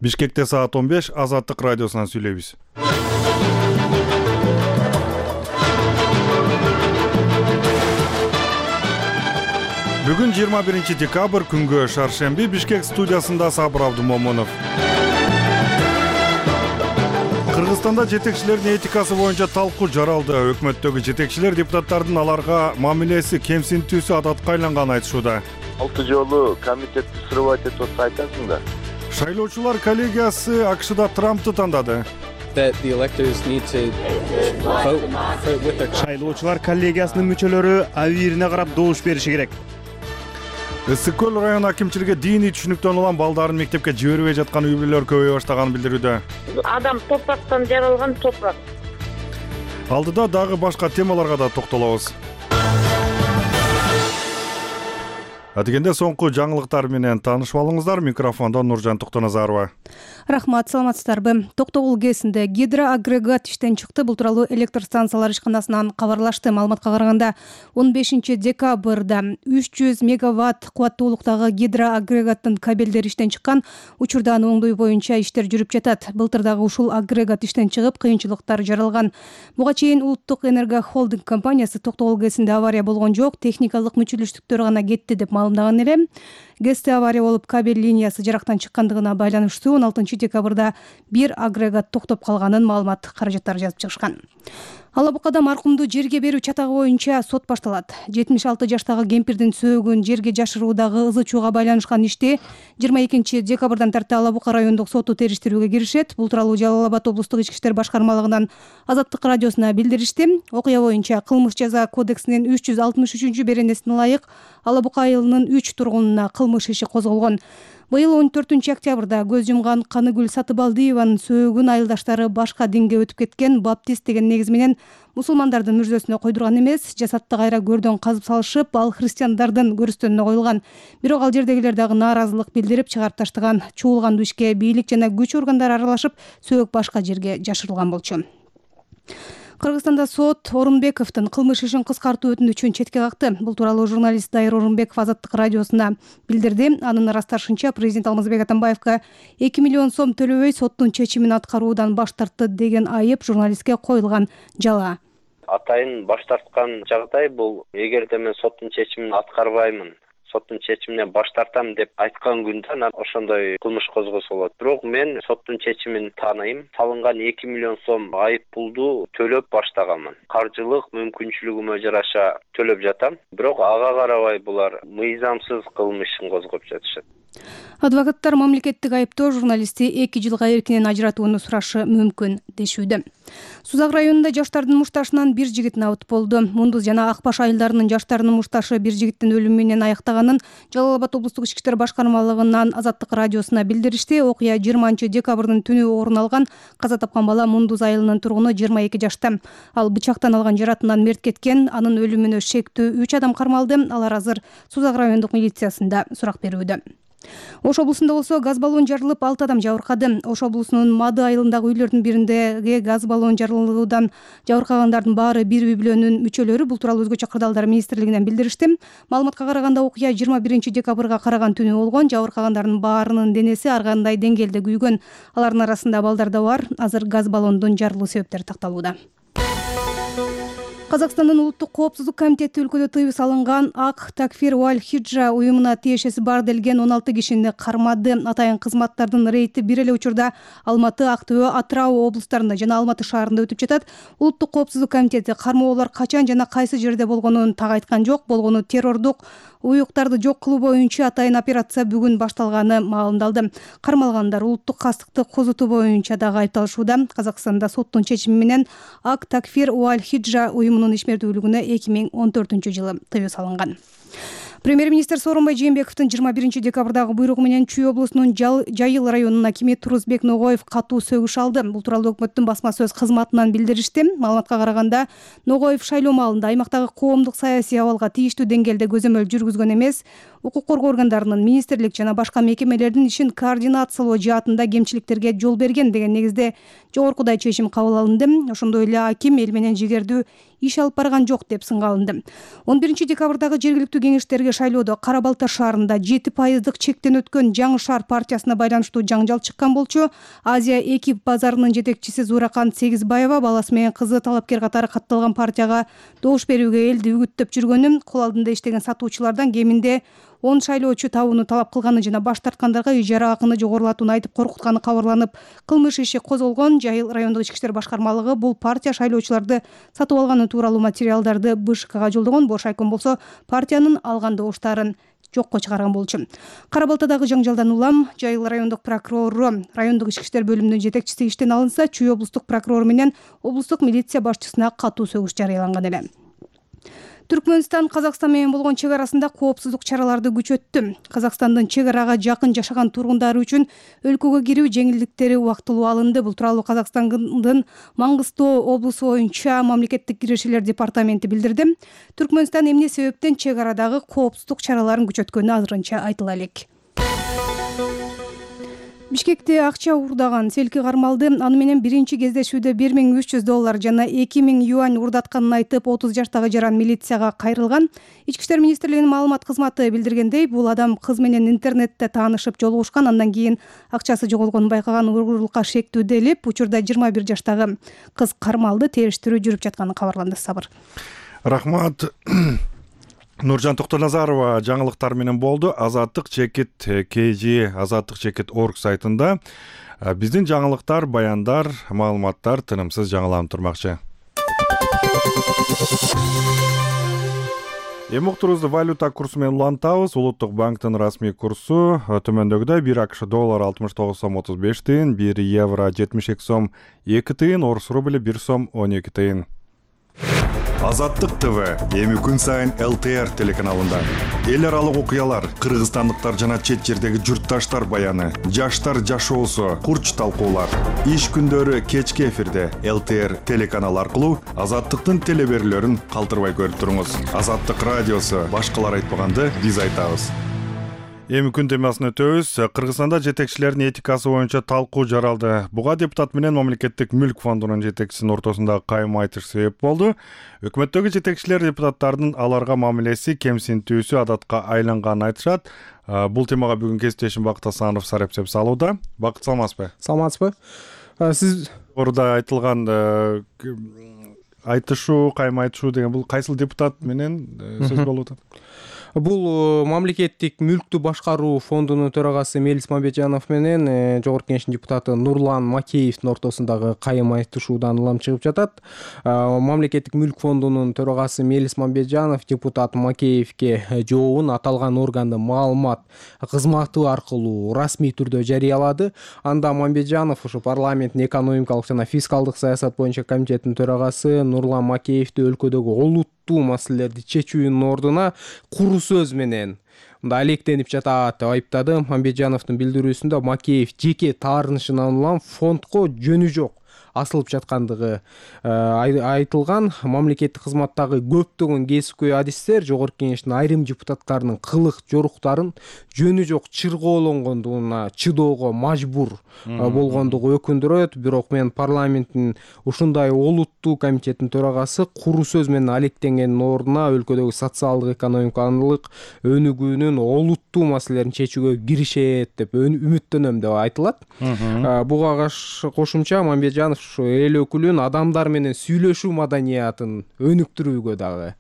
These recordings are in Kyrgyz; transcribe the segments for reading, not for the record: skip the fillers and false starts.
Бишкекте саат 15 Азаттык радиосунан сүйлөйбүз. Бүгүн 21 декабрь күнгө шаршемби. Бишкек студиясында Сабыр Абдумомунов. Кыргызстанда жетекчилердин этикасы боюнча талкуу жаралды. Өкмөттөгү жетекчилер депутаттардын аларга мамилеси кемсинтүүсү адатка айганганын айтышууда. 6 жолу комитетти срывать этип атса айтасың да. Шайлоочулар коллегиясы АКШда Трампты тандады. Шайлоочулар коллегиясынын мүчөлөрү абийирине карап добуш бериши керек. Ысык көл район акимчилиги диний түшүнүктөн улам балдарын мектепке жибербей жаткан үй бүлөлөр көбөйө баштаганын билдирүүдө. Адам топурактан жаралган топурак. Алдыда дагы башка темаларга да токтолобуз. Адегенде соңку жаңылыктар менен таанышып алыңыздар. Микрофондо Нуржан Токтоназарова. Рахмат, саламатсыздарбы. Токтогул КЭСинде гидроагрегат иштен чыкты. Бул тууралуу электр станциялар ишканасынан кабарлашты. Маалыматка караганда 15 декабрда 300 мегаватт кубаттуулуктагы гидроагрегаттын кабелдери иштен чыккан. Учурда аны оңдоо боюнча иштер жүрүп жатат. Былтыр дагы ушул агрегат иштен чыгып, кыйынчылыктар жаралган. Буга чейин Улуттук энерго холдинг компаниясы Токтогул КЭСинде авария болгон жок, техникалык мүчүлүштүктөр гана кетти деп маалымдаган эле. КЭСте авария болуп, кабель линиясы жарактан чыккандыгына байланыштуу 16 декабрда бир агрегат токтоп калганын маалымат каражаттары жазып чыгышкан. Алабукада маркумду жерге берүү чатагы боюнча сот башталат. 76 жаштагы кемпирдин сөөгүн жерге жашыруудагы ызы чууга байланышкан ишти 22 декабрдан тарта Алабука райондук соту териштирүүгө киришет. Бул тууралуу Жалал Абад облустук ички иштер башкармалыгынан Азаттык радиосуна билдиришти. Окуя боюнча кылмыш жаза кодексинин 363 беренесине ылайык Алабука айылынын 3 тургунуна кылмыш иши козголгон. Быйыл 14 октябрда көз жумган Каныгүл Сатыбалдиеванын сөөгүн айылдаштары башка динге өтүп кеткен баптист деген негиз менен мусулмандардын мүрзөсүнө койдурган эмес, жасатты кайра көрдөн казып салышып, ал христиандардын көрүстөнүнө коюлган. Бирок ал жердегилер дагы нааразылык билдирип чыгарып таштаган. Чуулган ишке бийлик жана күч органдары аралашып, сөök башка жерге жашырылган болчу. Кыргызстанда сот Орунбековдун кылмыш ишин кыскартуу өтүнүчүн четке какты. Бул тууралуу журналист Дайыр Орунбеков Азаттык радиосуна билдирди. Анын ырасташынча, президент Алмазбек Атамбаевка 2 миллион сом төлөбөй соттун чечимин аткаруудан баш тартты деген айып журналистке коюлган жала. Атайын баш тарткан жагдай бул. Эгерде мен соттун чечимин аткарбаймын, соттун чечиминен баш тартам деп айткан күндө ошондой кылмыш козголсо болот. Бирок мен соттун чечимин тааныйм. Салынган 2 миллион сом айып пулду төлөп баштаганмын. Каржылык мүмкүнчүлүгүмө жараша төлөп жатам. Бирок ага карабай булар мыйзамсыз кылмышын козгоп жатышат. Адвокаттар мамлекеттик айыптоо журналистти 2 жылга эркинен ажыратууну сурашы мүмкүн дешүүдө. Сузак районунда жаштардын мушташынан бир жигит набыт болду. Мундуз жана Акбаш айылдарынын жаштарынын мушташы бир жигиттин өлүмү менен аяктаганын Жалал Абад облустук ички иштер башкармалыгынан Азаттык радиосуна билдиришти. Окуя 20 декабрдын түнү орун алган. Каза тапкан бала Мундуз айылынын тургуну 22 жашта. Ал бычактан алган жаратынан мерт кеткен. Анын өлүмүнө шектүү 3 адам кармалды. Алар азыр Сузак райондук милициясында сурак берүүдө. Ош облусунда болсо газ баллон жарылып 6 адам жабыркады. Ош облусунун Мады айылындагы үйлөрдүн бириндеги газ баллон жарылуудан жабыркагандардын баары бир үй бүлөнүн мүчөлөрү. Бул тууралуу Өзгөчө кырдаалдар министрлигинен билдиришти. Маалыматка караганда окуя 21 декабрга караган түнү болгон. Жабыркагандардын баарынын денеси ар кандай деңгээлде күйгөн. Алардын арасында балдар да бар. Азыр газ баллондун жарылуу себептери такталууда. Казакстандын улуттук коопсуздук комитети өлкөдө тыюу салынган Ак Такфир Уаль Хиджа уюмуна тиешеси бар делген 16 кишини кармады. Атайын кызматтардын рейти бир эле учурда Алматы, Актөө, Атырау облустарында жана Алматы шаарында өтүп жатат. Улуттук коопсуздук комитети кармоолор качан жана кайсы жерде болгонун так айткан жок. Болгону террордук уюктарды жок кылуу боюнча атайын операция бүгүн башталганы маалымдалды. Кармалгандар улуттук кастыкты козутуу боюнча дагы айыпталышууда. Казакстанда соттун чечими менен Ак Такфир Уаль Хиджа уюмунун ишмердүүлүгүнө 2014 жылы тыюу салынган. Премьер-министр Сооронбай Жээнбековдун 21 декабрдагы буйругу менен Чүй облусунун Жайыл районунун акими Турузбек Ногоев катуу сөгүш алды. Бул тууралуу өкмөттүн басма сөз кызматынан билдиришти. Маалыматка караганда, Ногоев шайлоо маалында аймактагы коомдук саясий абалга тийиштүү деңгээлде көзөмөл жүргүзгөн эмес, укук коргоо органдарынын, министрлик жана башка мекемелердин ишин координациялоо жаатында кемчиликтерге жол берген деген негизде жогоркудай чечим кабыл алынды. Ошондой эле аким эл менен жигердүү иш алып барган жок деп сынга алынды. 11 декабрдагы жергиликтүү кеңештерге шайлоодо Кара Балта шаарында 7% чектен өткөн Жаңы шаар партиясына байланыштуу жаңжал чыккан болчу. Азия 2 базарынын жетекчиси Зуракан Сегизбаева баласы менен кызы талапкер катары катталган партияга добуш берүүгө элди үгүттөп жүргөнүн, кол алдында иштеген сатуучулардан кеминде 10 шайлоочу табууну талап кылганы жана баш тарткандарга ижара акыны жогорулатууну айтып коркутканы кабарланып, кылмыш иши козголгон. Жайыл райондук ички иштер башкармалыгы бул партия шайлоочуларды сатып алганы тууралуу материалдарды БШКга жолдогон. Бош айком болсо партиянын алган добуштарын жокко чыгарган болчу. Кара Балтадагы жаңжалдан улам Жайыл райондук прокурору, райондук ички иштер бөлүмүнүн жетекчиси иштен алынса, Чүй облустук прокурору менен облустук милиция башчысына катуу сөгүш жарыяланган эле. Түркмөнстан Казакстан менен болгон чек арасында коопсуздук чараларды күчөттү. Казакстандын чек арага жакын жашаган тургундары үчүн өлкөгө кирүү жеңилдиктери убактылуу алынды. Бул тууралуу Казакстандын Маңгыстоо облусу боюнча мамлекеттик киришелер департаменти билдирди. Түркмөнстан эмне себептен чек арадагы коопсуздук чараларын күчөткөнү азырынча айтыла элек. Бишкекте акча уурдаган селки кармалды. Аны менен биринчи кездешүүдө $1300 жана 2000 юань уурдатканын айтып, 30 жаштагы жаран милицияга кайрылган. Ички иштер министрлигинин маалымат кызматы билдиргендей, бул адам кыз менен интернетте таанышып жолугушкан, андан кийин акчасы жоголгонун байкаган уургурлукка шектүү делип, учурда 21 жаштагы кыз кармалды. Териштирүү жүрүп жатканы кабарланды. Сабыр. Рахмат. Нуржан Токтоназарова жаңылыктар менен болду. Азаттык чекит KG Азаттык чекит орг сайтында биздин жаңылыктар, баяндар, маалыматтар тынымсыз жаңыланып турмакчы. Эми уктурубузду валюта курсу менен улантабыз. Улуттук банктын расмий курсу төмөндөгүдөй: 1 АКШ доллар 69 сом 35 тыйын, 1 евро 72 сом 2 тыйын, орус рубли 1 сом 12 тыйын. Азаттык ТВ эми күн сайын ЛТР телеканалында. Эл аралык окуялар, кыргызстандыктар жана чет жердеги журтташтар баяны, жаштар жашоосу, курч талкуулар. Иш күндөрү кечки эфирде ЛТР телеканалы аркылуу Азаттыктын телеберүүлөрүн калтырбай көрүп туруңуз. Азаттык радиосу башкалар айтпаганды биз айтабыз. Эми күн темасын өтөбүз. Кыргызстанда жетекчилердин этикасы боюнча талкуу жаралды. Буга депутат менен мамлекеттик мүлк фондунун жетекчисинин ортосунда кайым айтыш себеп болду. Өкмөттөгү жетекчилер депутаттардын аларга мамилеси кемсинтүүсү адатка айланганын айтышат. Бул темага бүгүн кесиптешим Бакыт Асанов сарепсеп салууда. Бакыт, саламатсызбы? Саламатсызбы? Сиз орда айтылган айтышуу, кайым айтышуу деген бул кайсыл депутат менен сөз болуп атат? Бул мамлекеттик мүлктү башкаруу фондунун төрагасы Мелис Мамбетжанов менен Жогорку Кеңештин депутаты Нурлан Макеевдин ортосундагы кайым айтышуудан улам чыгып жатат. Мамлекеттик мүлк фондунун төрагасы Мелис Мамбетжанов депутат Макеевге жообун аталган органдын маалымат кызматы аркылуу расмий түрдө жарыялады. Анда Мамбетжанов ушу парламенттин экономикалык жана фискалдык саясат боюнча комитетинин төрагасы Нурлан Макеевди өлкөдөгү олуттуу маселелерди чечүүнүн ордуна куру сөз менен мында алектенип жатат деп айыптады. Мамбетжановдун билдирүүсүндө Макеев жеке таарынышынан улам фондко жөнү жок асылып жаткандыгы айтылган. Мамлекеттик кызматтагы көптөгөн кесипкөй адистер Жогорку Кеңештин айрым депутаттарынын кылык жоруктарын жөнү жок чыргоолонгондугуна чыдоого мажбур болгондугу өкүндүрөт. Бирок мен парламенттин ушундай олуттуу комитеттин төрагасы куру сөз менен алектенгендин ордуна өлкөдөгү социалдык экономикалык өнүгүүнүн олуттуу маселелерин чечүүгө киришет деп үмүттөнөм деп айтылат. Буга кошумча Мамбетжанов эл өкүлүн адамдар менен сүйлөшүү маданиятын өнүктүрүүгө дагы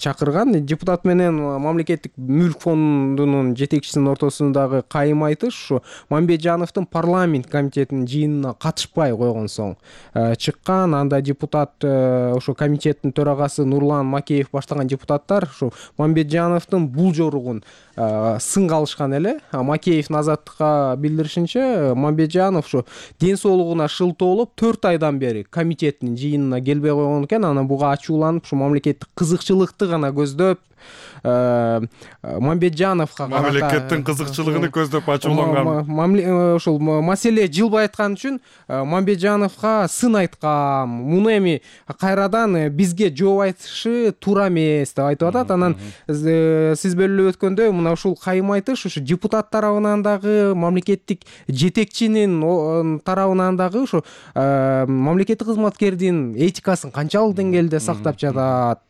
чакырган. Депутат менен мамлекеттик мүлк фондунун жетекчисинин ортосундагы кайым айтыш ушу Мамбетжановдун парламент комитетинин жыйынына катышпай койгон соң чыккан. Анда депутат ошо комитеттин төрагасы Нурлан Макеев баштаган депутаттар ушу Мамбетжановдун бул жоругун сынга алышкан эле. Макеевдин Азаттыкка билдиришинче, Мамбетжанов ушу ден соолугуна шылтоолоп 4 айдан бери комитеттин жыйынына келбей койгон экен. Анан буга ачууланып, ушу мамлекеттик кызык кызыкчылыкты гана көздөп Мамбетжановго мамлекеттин кызыкчылыгын көздөп ачууланган ушул маселе жылбай аткан үчүн Мамбетжановго сын айткан, муну эми кайрадан бизге жооп айтышы туура эмес деп айтып атат. Анан сиз бөлүп өткөндөй мына ушул кайым айтыш ушу депутат тарабынан дагы, мамлекеттик жетекчинин тарабынан дагы ушу мамлекеттик кызматкердин этикасын канчалык деңгээлде сактап жатат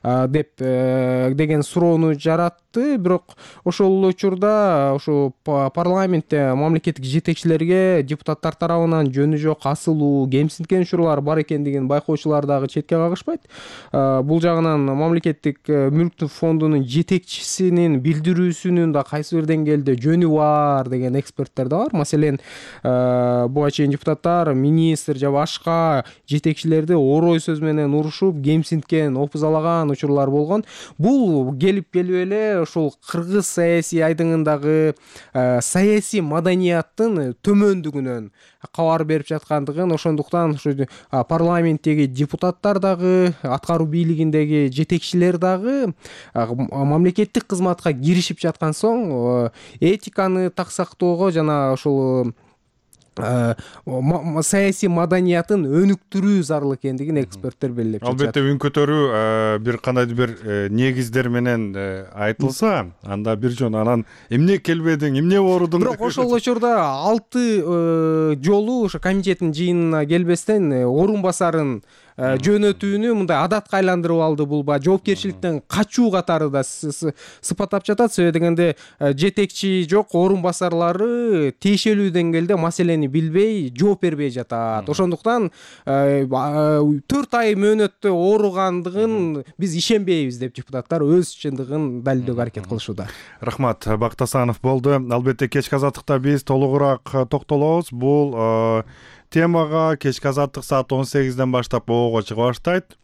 деген суроону жаратты. Бирок ошол учурда ушу парламентте мамлекеттик жетекчилерге депутаттар тарабынан жөнү жок асылуу, кемсинткен учурлар бар экендигин байкоочулар дагы четке кагышпайт. Бул жагынан мамлекеттик мүлктүк фондунун жетекчисинин билдирүүсүнүн да кайсы бир деңгээлде жөнү бар деген эксперттер да бар. Маселен, буга чейин депутаттар министр же башка жетекчилерди орой сөз менен урушуп, кемсинткен, опузалаган учурлар болгон. Бул келип эле ушул кыргыз саясий айдыңындагы саясий маданияттын төмөндүгүнөн кабар берип жаткандыгын, ошондуктан ушу парламенттеги депутаттар дагы, аткаруу бийлигиндеги жетекчилер дагы мамлекеттик кызматка киришип жаткан соң этиканы так сактоого жана ушул саясий маданиятын өнүктүрүү зарыл экендигин эксперттер белгилеп жатат. Албетте үн көтөрүү бир кандайдыр бир негиздер менен айтылса, анда бир жөн анан эмне келбедиң, эмне оорудуң. Бирок ошол учурда 6 жолу ошо комитеттин жыйынына келбестен орун басарын жөнөтүүнү мындай адатка айландырып алды. Бул жоопкерчиликтен качуу катары да сыпаттап жатат. Себеби дегенде жетекчи жок, орун басарлары тиешелүү деңгээлде маселени билбей, жооп бербей жатат. Ошондуктан 4 ай мөөнөттө ооругандыгын биз ишенбейбиз деп депутаттар өз чындыгын далилдөөгө аракет кылышууда. Рахмат, Бактасанов болду. Албетте кечки азаттыкта биз толугураак токтолобуз. Бул темага кечки азаттык саат 18ден баштап оого чыга баштайт.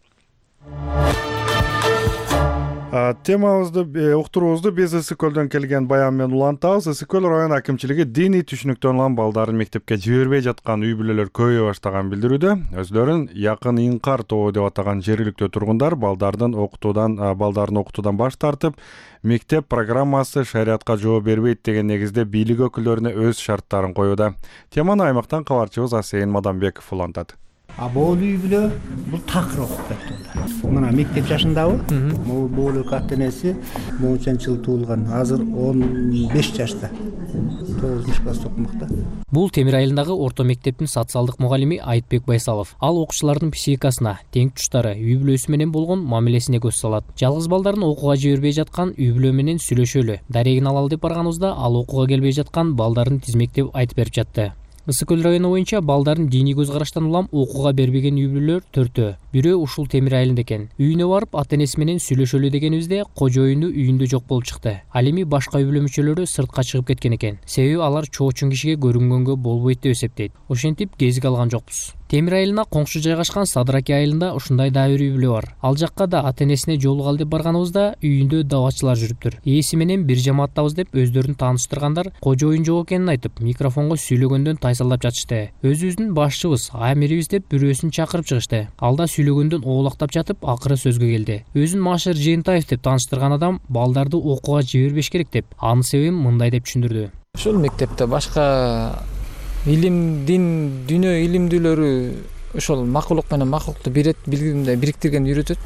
Темабызды, уктуруубузду биз Ысык көлдөн келген баян менен улантабыз. Ысык көл район акимчилиги диний түшүнүктөн улам балдарын мектепке жибербей жаткан үй бүлөлөр көбөйө баштаган билдирүүдө. Өзлөрүн якын инкар тобу деп атаган жергиликтүү тургундар балдарын окутуудан баш тартып, мектеп программасы шариатка жооп бербейт деген негизде бийлик өкүлдөрүнө өз шарттарын коюуда. Теманы аймактан кабарчыбыз Асейин Мадамбеков улантат. Бул үй бүлө бул такыр окуп кетти. Мына мектеп жашындабы? Бул ата энеси моңчанчы жыл туулган. Азыр 15 жашта. 9-класс окумакта. Бул Темир айылындагы орто мектептин социалдык мугалими Айтбек Байсалов. Ал окуучулардын психикасына, тең туштары, үй бүлөсү менен болгон мамилесине көз салат. Жалгыз балдарын окууга жибербей жаткан үй бүлө менен сүйлөшөлү. Дарегин алалы деп барганыбызда ал окууга келбей жаткан балдарын тизмектеп айтып берип жатты. Ысык көл району боюнча балдарын диний көз караштан улам окууга бербеген үй бүлөлөр 4. Бирөө ушул Темир айылында экен. Үйүнө барып ата энеси менен сүйлөшөлү дегенибизде кожоюну үйүндө жок болуп чыкты. Ал эми башка үй бүлө мүчөлөрү сыртка чыгып кеткен экен. Себеби алар чоочун кишиге көрүнгөнгө болбойт деп эсептейт. Ошентип кезиге алган жокпуз. Темир айылына коңшу жайгашкан Садыраки айылында ушундай дагы бир үй бүлө бар. Ал жакка да ата энесине жолугалы деп барганыбызда үйүндө давачылар жүрүптүр. Ээси менен бир жамааттабыз деп өздөрүн тааныштыргандар кожоюн жок экенин айтып, микрофонго сүйлөгөндөн тайсалдап жатышты. Өзүбүздүн башчыбыз, амирибиз деп бирөөсүн чакырып чыгышты. Алда сүйлөгөндөн оолактап жатып, акыры сөзгө келди. Өзүн Машер Жыйынтаев деп тааныштырган адам балдарды окууга жибербеш керек деп, анын себебин мындай деп түшүндүрдү. Ушул мектепте башка илим, дин, дүйнө илимдүүлөрү ошол макулук менен макулукту бириктирген үйрөтөт.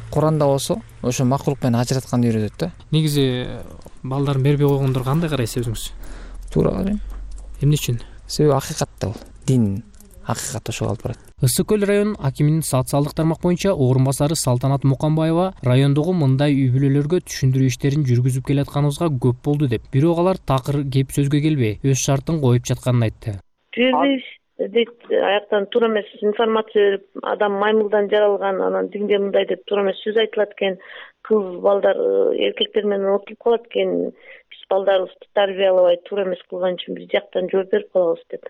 Куранда болсо ошо макулук менен ажыратканды үйрөтөт да. Негизи балдарын бербей койгондор кандай карайсыз өзүңүз? Туура карайм. Эмне үчүн? Себеби акыйкатта бул. Дин акыйкат ошого алып барат. Ысык көл район акиминин социалдык тармак боюнча орун басары Салтанат Мукамбаева райондогу мындай үй бүлөлөргө түшүндүрүү иштерин жүргүзүп келатканыбызга көп болду деп, бирок алар такыр кеп сөзгө келбей, өз шартын коюп жатканын айтты. Дейт, аяктан туура эмес информация берип, адам маймылдан жаралган, анан динде мындай деп туура эмес сөз айтылат экен, кыз балдар эркектер менен отуруп калат экен, биз балдарыбызды тарбиялабай туура эмес кылган үчүн биз жактан жооп берип калабыз деп.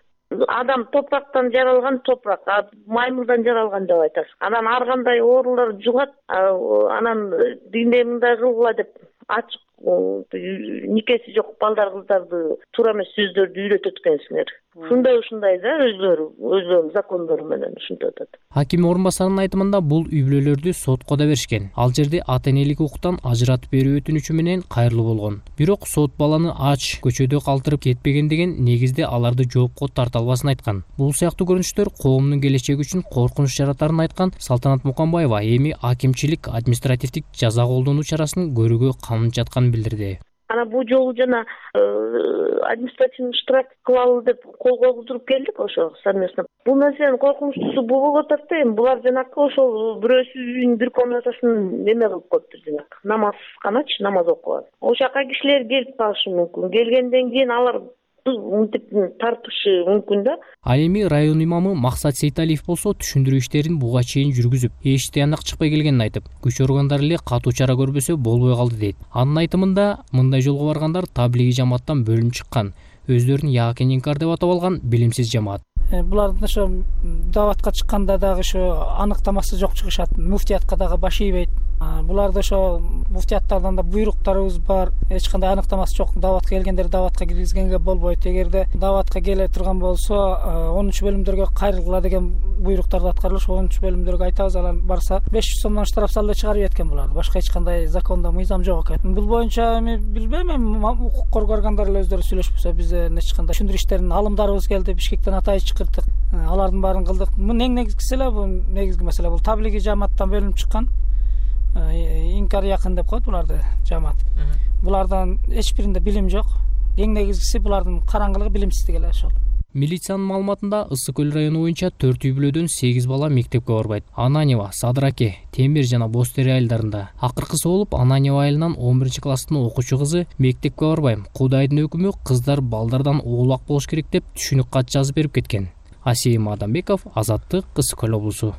Адам топурактан жаралган топурак, маймылдан жаралган деп айтасыз. Анан ар кандай оорулар жугат, анан динде мындай кылгыла деп ачык никеси жок балдар кыздарды туура эмес сөздөрдү үйрөтөт экенсиңер. ушундай да өздөрүнүн закондору менен ушинтип атат. Аким орун басарынын айтымында бул үй бүлөлөрдү сотко да беришкен. Ал жерде ата энелик укуктан ажыратып берүү өтүнүчү менен кайрылуу болгон. Бирок сот баланы ач көчөдө калтырып кетпеген деген негизде аларды жоопко тарта албасын айткан. Бул сыяктуу көрүнүштөр коомдун келечеги үчүн коркунуч жаратарын айткан Салтанат Муканбаева эми акимчилик административдик жаза колдонуу чарасын көрүүгө камын жатканын билдирди. Ана бул жолу жана административный штраф кылалы деп кол койгузуп келдик ошо совместно. Бул нерсенин коркунучтуусу бул болуп атат да, эми булар жанакы ошол бирөөсүнүн бир комнатасын неме кылып коюптур, жанакы намазканачы, намаз окуган. Ошол жака кишилер келип калышы мүмкүн. Келгенден кийин алар мынтип тартышы мүмкүн да. Ал эми район имамы Максат Сейталиев болсо түшүндүрүү иштерин буга чейин жүргүзүп, эч тыянак чыкпай келгенин айтып, күч органдары эле катуу чара көрбөсө болбой калды дейт. Анын айтымында мындай жолго баргандар таблиги жамааттан бөлүнүп чыккан, өздөрүн яакен инкар деп атап алган билимсиз жамаат. Булардын ошо даватка чыкканда дагы ошо аныктамасы жок чыгышат, муфтиятка дагы баш ийбейт. Буларды ошо муфтияттардан да буйруктарыбыз бар, эч кандай аныктамасы жок. Даватка келгендер даватка киргизгенге болбойт. Эгерде даватка келе турган болсо 10-бөлүмдөргө кайрылгыла деген буйруктарды аткарылыш, 10-бөлүмдөргө айтабыз, алар барса 500 сомдон штраф салып чыгарып кеткен буларды. Башка эч кандай закондо мыйзам жок экен. Бул боюнча эми билбейм, укук коргоо органдары эле өздөрү сүйлөшпөсө бизде эч кандай түшүндүрүү иштерин алымдарыбыз келди, Бишкектен атайын чакырдык. Алардын баарын кылдык. Бул эң негизгиси эле, бул негизги маселе бул таблиги жамааттан бөлүнүп чыккан. Инкар якын деп коет буларды жамаат. Булардан эч биринде билим жок. Эң негизгиси булардын караңгылыгы, билимсиздиги эле ошол. Милициянын маалыматында Ысык көл району боюнча 4 үй бүлөдөн 8 бала мектепке барбайт. Ананьева, Садыраке, Темир жана Бостери айылдарында. Акыркысы болуп Ананьева айылынан 11-класстын окуучу кызы мектепке барбайм. Кудайдын өкүмү кыздар балдардан улак болуш керек деп түшүнүк кат жазып берип кеткен. Асейим Адамбеков, Азаттык, Ысык көл облусу.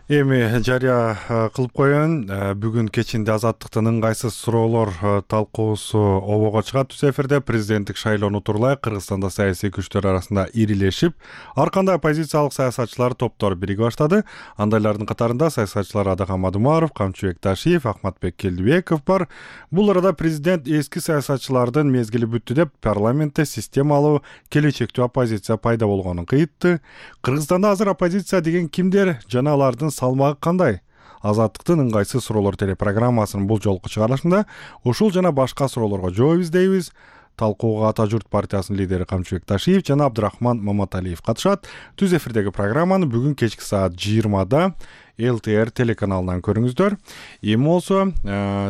Эми жарыя кылып коеюн, бүгүн кечинде Азаттыктын ыңгайсыз суроолор талкуусу обого чыгат. Түз эфирде президенттик шайлоону турлай Кыргызстанда саясий күчтөр арасында ирилешип, ар кандай оппозициялык саясатчылар топтор бириге баштады. Андайлардын катарында саясатчылар Адакан Мадумаров, Камчыбек Ташиев, Ахматбек Келдибеков бар. Бул арада президент эски саясатчылардын мезгили бүттү деп парламентте системалуу келечектүү оппозиция пайда болгонун кыйтты. Кыргызстанда азыр оппозиция деген кимдер жана алардын салмагы кандай? Азаттыктын ыңгайсыз суроолор телепрограммасынын бул жолку чыгарылышында ушул жана башка суроолорго жооп издейбиз. Талкууга Ата журт партиясынын лидери Камчыбек Ташиев жана Абдрахман Маматалиев катышат. Түз эфирдеги программаны бүгүн кечки саат 20-да ЛТР телеканалынан көрүңүздөр. Эми болсо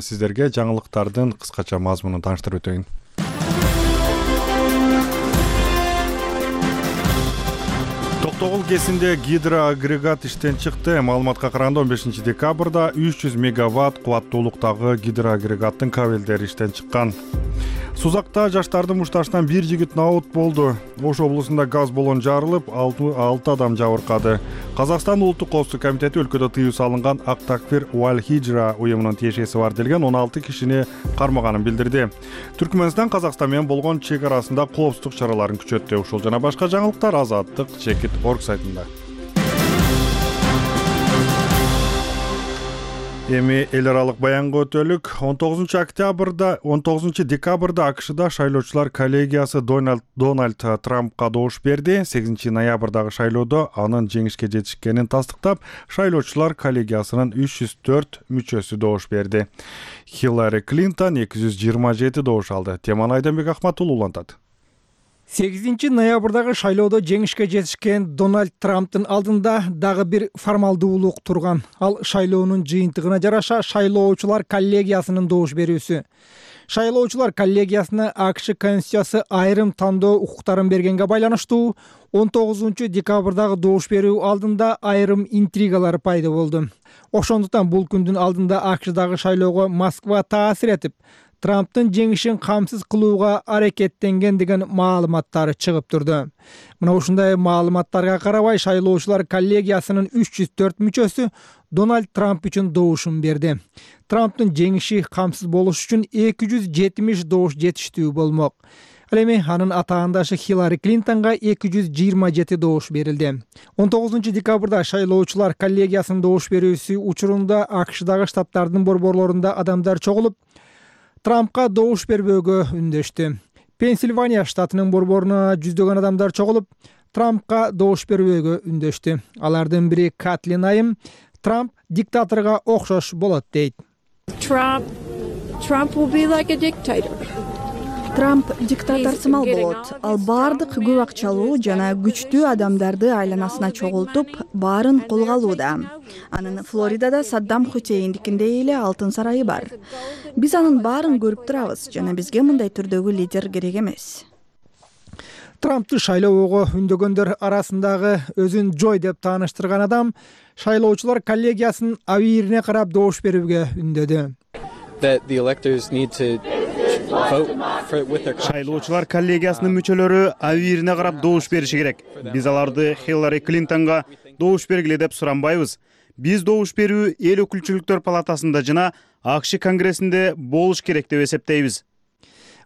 сиздерге жаңылыктардын кыскача мазмунун тааныштырып өтөйүн. Токтогул КЭСинде гидроагрегат иштен чыкты. Маалыматка караганда 15 декабрда 300 мегаватт кубаттуулуктагы гидроагрегаттын кабелдери иштен чыккан. Сузакта жаштардын мушташынан бир жигит набут болду. Ош облусунда газ баллон жарылып, 6 адам жабыркады. Казакстан улуттук коопсуздук комитети өлкөдө тыюу салынган Ак Такфир Wal Hijra уюмунун тиешеси бар делген 16 кишини кармаганын билдирди. Түркмөнстан Казакстан менен болгон чек арасында коопсуздук чараларын күчөттү. Ушул жана башка жаңылыктар Азаттык.org сайтында. Эми эл аралык баянга өтөлүк. 19 декабрда АКШда шайлоочулар коллегиясы Дональд Трампка добуш берди. 8 ноябрдагы шайлоодо анын жеңишке жетишкенин тастыктап, шайлоочулар коллегиясынын 304 мүчөсү добуш берди. Хиллари Клинтон 227 добуш алды. Теманы Айданбек Ахматуллу улантат. 8 ноябрдагы шайлоодо жеңишке жетишкен Дональд Трамптын алдында дагы бир формалдуулук турган. Ал шайлоонун жыйынтыгына жараша шайлоочулар коллегиясынын добуш берүүсү. Шайлоочулар коллегиясына АКШ Конституциясы айрым тандоо укуктарын бергенге байланыштуу 19 декабрдагы добуш берүү алдында айрым интригалар пайда болду. Ошондуктан бул күндүн алдында АКШдагы шайлоого Москва таасир этип, Трамптын жеңишин камсыз кылууга аракеттенген деген маалыматтар чыгып турду. Мына ушундай маалыматтарга карабай шайлоочулар коллегиясынын 304 мүчөсү Дональд Трамп үчүн добушун берди. Трамптын жеңиши камсыз болуш үчүн 270 добуш жетиштүү болмок. Ал эми анын атаандашы Хиллари Клинтонго 227 добуш берилди. 19 декабрда шайлоочулар коллегиясынын добуш берүүсү учурунда АКШдагы штаттардын борборлорунда адамдар чогулуп, Трампка добуш бербөөгө үндөштү. Пенсильвания штатынын борборуна жүздөгөн адамдар чогулуп Трампка добуш бербөөгө үндөштү. Алардын бири Катлин Айым Трамп диктаторго окшош болот дейт. Trump will be like a dictator. Трамп диктатор сымал болот. Ал бардык көп акчалуу жана күчтүү адамдарды айланасына чогултуп, баарын колго алууда. Анын Флоридада Саддам Хусейндикиндей эле алтын сарайы бар. Биз анын баарын көрүп турабыз жана бизге мындай түрдөгү лидер керек эмес. Трампты шайлоого үндөгөндөр арасындагы өзүн Жой деп тааныштырган адам шайлоочулар коллегиясынын абийирине карап добуш берүүгө үндөдү. Шайлоочулар коллегиясынын мүчөлөрү абийирине карап добуш бериши керек. Биз аларды Хиллари Клинтонго добуш бергиле деп суранбайбыз. Биз добуш берүү эл өкүлчүлүктөр палатасында жана АКШ Конгрессинде болуш керек деп эсептейбиз.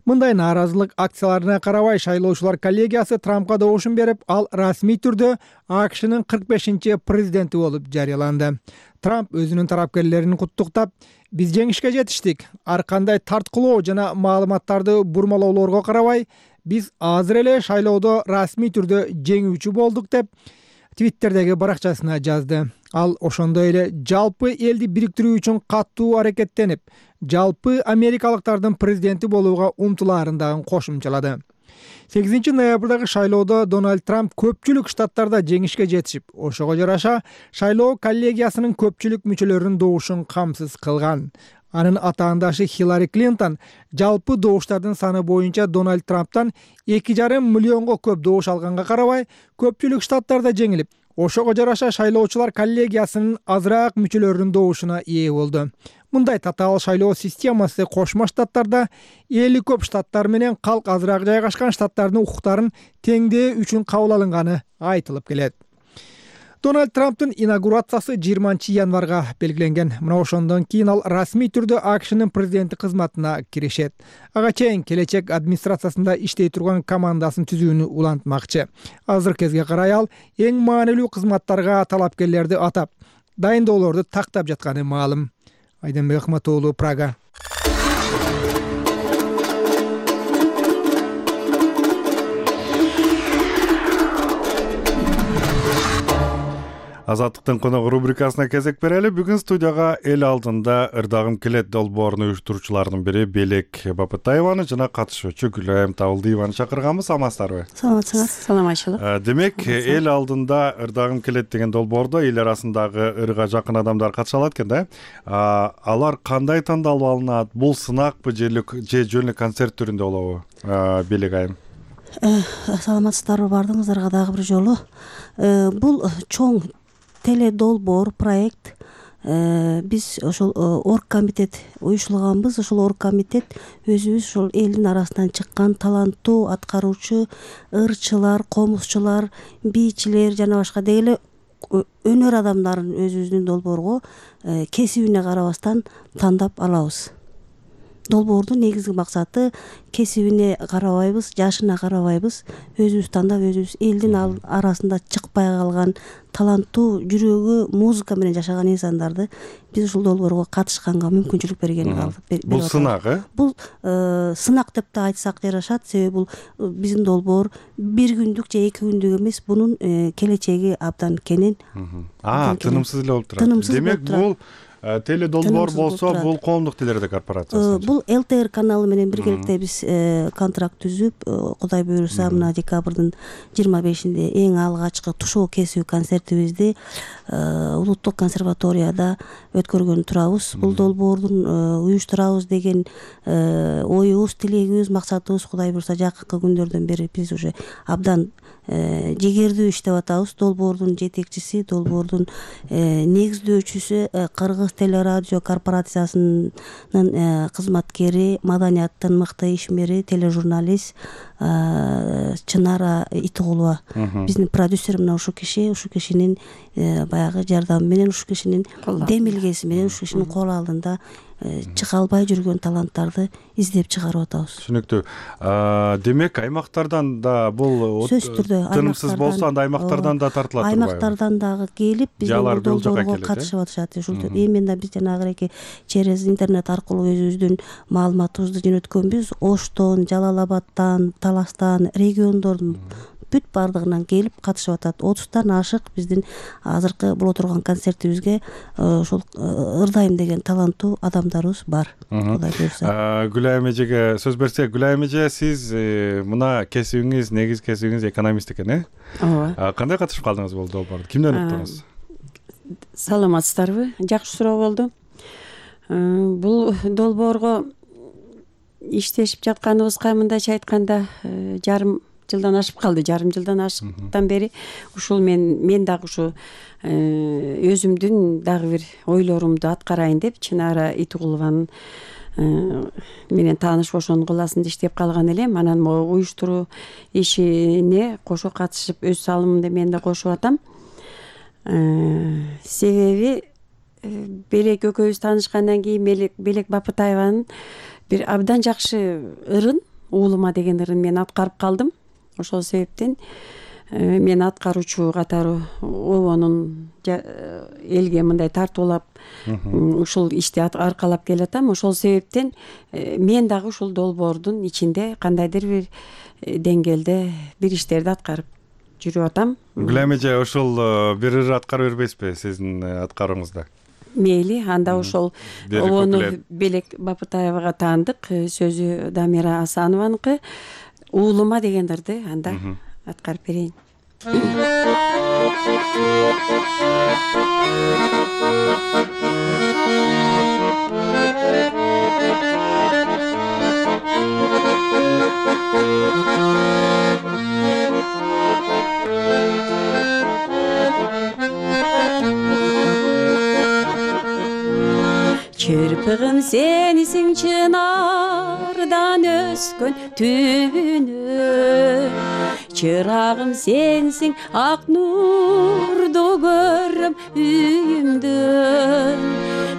Мындай нааразылык акцияларына карабай шайлоочулар коллегиясы Трампка добушун берип, ал расмий түрдө АКШнын 45-чи президенти болуп жарыяланды. Трамп өзүнүн тарапкерлерин куттуктап, биз жеңишке жетиштик. Ар кандай тарткылоо жана маалыматтарды бурмалоолорго карабай, биз азыр эле шайлоодо расмий түрдө жеңүүчү болдук деп Твиттердеги баракчасына жазды. Ал ошондой эле жалпы элди бириктирүү үчүн каттуу аракеттенип, жалпы америкалыктардын президенти болууга умтулаарын дагы кошумчалады. 8-ноябрдагы шайлоодо Дональд Трамп көпчүлүк штаттарда жеңишке жетишип, ошого жараша шайлоо коллегиясынын көпчүлүк мүчөлөрүнүн добушун камсыз кылган. Анын атаандашы Хиллари Клинтон жалпы добуштардын саны боюнча Дональд Трамптан 2,5 миллионго көп добуш алганга карабай, көпчүлүк штаттарда жеңилип, ошого жараша шайлоочулар коллегиясынын азыраак мүчөлөрүнүн добушуна ээ болду. Мындай татаал шайлоо системасы Кошмо Штаттарда эли көп штаттар менен калк азыраак жайгашкан штаттардын укуктарын теңдөө үчүн кабыл алынганы айтылып келет. Дональд Трамптын инаугурациясы 20-январга белгиленген. Мына ошондон кийин ал расмий түрдө АКШнын президенти кызматына киришет. Ага чейин келечек администрациясында иштей турган командасын түзүүнү улантмакчы. Азыр кезге карай ал эң маанилүү кызматтарга талапкерлерди атап, дайындоолорду тактап жатканы маалым. Айденбек Ахматоğlu, Прага. Азаттыктын коногу рубрикасына кезек берели. Бүгүн студияга эл алдында ырдагым келет долбоорун уюштуруучулардын бири Белек Бапытаеваны жана катышуучу Гүлайым Табылдиеваны чакырганбыз. Амансыздарбы? Саламатсыңар. Саламатчылык. Демек, эл алдында ырдагым келет деген долбоордо эл арасындагы ырга жакын адамдар катыша алат экен да. Алар кандай тандалып алынат? Бул сынакпы же жөн концерт түрүндө болобу? Белек айым. Саламатсыздарбы, бардыңыздарга дагы бир жолу. Бул чоң теледолбоор проект. Биз ошол оргкомитет уюштурганбыз. Ошол оргкомитет өзүбүз ошол элдин арасынан чыккан таланттуу аткаруучу ырчылар, комузчулар, бийчилер жана башка дегеле өнөр адамдарын өзүбүздүн долбоорго кесибине карабастан тандап алабыз. Долбоордун негизги максаты кесибине карабайбыз, жашына карабайбыз, өзүбүз тандап, өзүбүз элдин арасында чыкпай калган таланттуу жүрөгү музыка менен жашаган инсандарды биз ушул долбоорго катышканга мүмкүнчүлүк берген. Бул сынак, Бул сынак деп да айтсак жарашат, себеби бул биздин долбоор 1 күндүк же 2 күндүк эмес, бунун келечеги абдан кенен. Тынымсыз эле болуп турат. Демек, бул теледолбоор болсо, бул коомдук телерадио корпорациясы. Бул ЛТР каналы менен биргеликте биз контракт түзүп, Кудай буйруса, мына декабрдын 25-inde эң алгачкы тушоо кесүү концертибизди Улуттук консерваторияда өткөргөн турабыз. Бул долбоордун уюштурабыз деген оюбуз, тилегибиз, максатыбыз Кудай буйруса жакынкы күндөрдөн бери биз уже абдан жегердүү иштеп атабыз. Долбоордун жетекчиси, долбоордун негиздөөчүсү Кыргыз телерадио корпорациясынын кызматкери, маданияттын мыкты ишмери, тележурналист Чынара Итигулова. Биздин продюсер мына ушул кишинин баягы жардамы менен, ушул кишинин демилгеси менен, ушул кишинин кол алдында чыга албай жүргөн таланттарды издеп чыгарып атабыз. Түшүнүктүү. Демек аймактардан да бул сөзсүз түрдө тынымсыз болсо анда аймактардан да тартылат турбайбы? Аймактардан дагы келип биздин долбоорго катышып атышат. Ушул именно биз жанагы через интернет аркылуу өзүбүздүн маалыматыбызды жөнөткөнбүз. Оштон, Жалал Абадтан, Таластан, региондордун бүт бардыгынан келип катышып атат. 30тан ашык биздин азыркы боло турган концертибизге ошол ырдайм деген таланттуу адамдарыбыз бар. Кудай буйрса. Гүлайым эжеге сөз берсек, Гүлайым эже, сиз мына кесибиңиз, негиз кесибиңиз экономист экен, Ооба. Кандай катышып калдыңыз бул долбоорго? Кимден уктуңуз? Саламатсыздарбы? Жакшы суроо болду. Бул долбоорго иштешип жатканыбызга мындайча айтканда жарым жылдан ашып калды. Жарым жылдан ашыктан бери ушул мен дагы ушу өзүмдүн дагы бир ойлорумду аткарайын деп Чынара Итугулованын менен тааныш ошонун кылаасында иштеп калган элем. Анан могу уюштуруу ишине кошо катышып өз салымымды мен да кошуп атам. Себеби Белек экөөбүз таанышкандан кийин Белек Бапытаеванын бир абдан жакшы ырын, уулума деген ырын мен аткарып калдым. Ошол себептен мен аткаруучу катары обонун элге мындай тартуулап ушул ишти аркалап келатам. Ошол себептен мен дагы ушул долбоордун ичинде кандайдыр бир деңгээлде бир иштерди аткарып жүрүп атам. Гүлайым эже, ушул бир ыр аткарып бербейсизби сиздин аткаруңузда? Мейли, анда ошол обону Белек Бапытаевага таандык, сөзү Дамира Асанованыкы. Уулума деген ырды анда аткарып берейин. Çırpığım senisin çınardan öskön tübünü, çırağım sensin ak nurdu görüm üyümdün.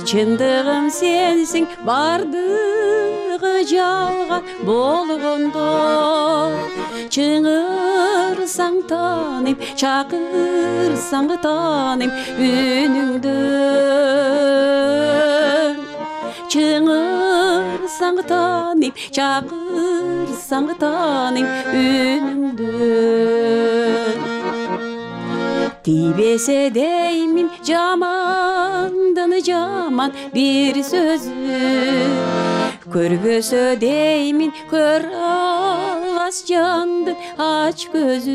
Çındığım sensin bardığı жалган болгондо, чыңырсаң тааныйм, чакырсаң тааныйм үнүңдү. Чыңырсаң тааныйм, чакырсаң тааныйм үнүңдү. Тийбесе деймин жамандын жаман бир сөзү, көрбөсө деймин көр албас жандын ач көзү,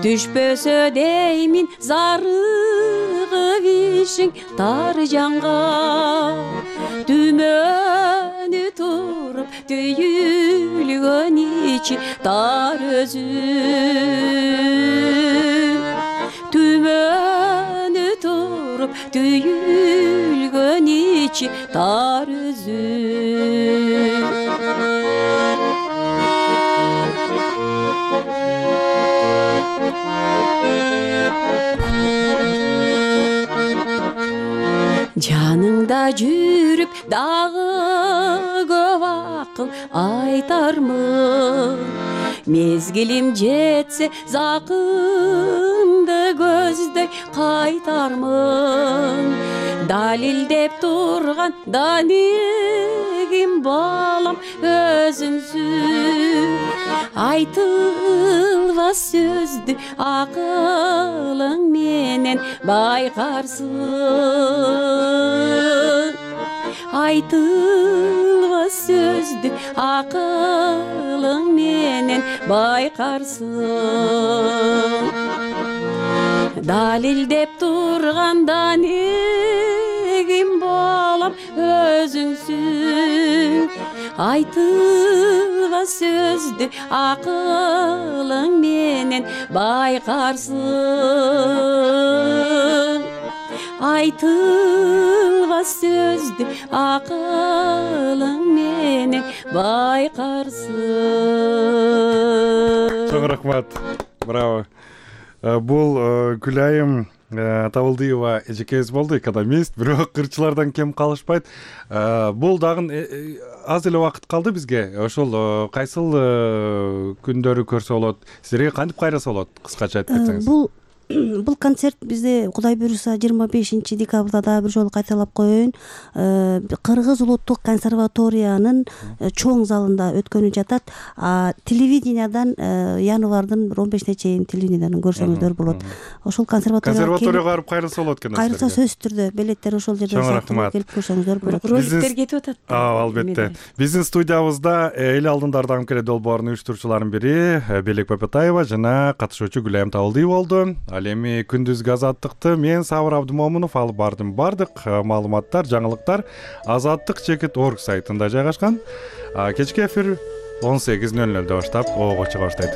түшпөсө деймин зарыгып ишиң тар жанга, түмөнү туруп түйүлгөн ичи тар өзү, түмөнү туруп түйүлгөн ичи тар өзү. Жаныңда жүрүп дагы көп акыл айтармын, мезгилим жетсе закынды көздөй кайтармын. Далилдеп турган данегим балам өзүңсүн, айтылбас сөздү акылың менен байкарсың. Айтылбас сөздү акылың менен байкарсың. Далилдеп турган данегим балам өзүңсүн, айтылбас сөздү акылың менен байкарсың. Айтылбас сөздү акылың менен байкарсың. Чоң рахмат. Браво. Бул Гүлайым Табылдыева эжекебиз болду, экономист, бирок кырчылардан кем калышпайт. Бул дагы аз эле убакыт калды бизге. Ошол кайсыл күндөрү көрсө болот? Силерге кантип кайраса болот? Кыскача айтып кетсеңиз. Бул концерт бизде Кудай буйруса 25 декабрда дагы бир жолу кайталап коеюн. Кыргыз улуттук консерваториянын чоң залында өткөнү жатат. Телевидениядан январдын 15-ине чейин телевидениядан көрсөңүздөр болот. Ошол консерваторияга барып кайрылса болот экен. Кайрылса сөзсүз түрдө билеттер ошол жерде келип көрсөңүздөр болот. Роликтер кетип атат. Албетте. Биздин студиябызда эл алдындарда АМКЛ долбоорунун уюштуруучуларынын бири Белек Бапатаева жана катышуучу Гүлайым Табылдыева болду. Ал эми күндүзгү азаттыкты мен Сабыр Абдымомунов алып бардым. Бардык маалыматтар, жаңылыктар azattik.org сайтында жайгашкан. Кечки эфир 18:00 баштап ого чыга баштайт.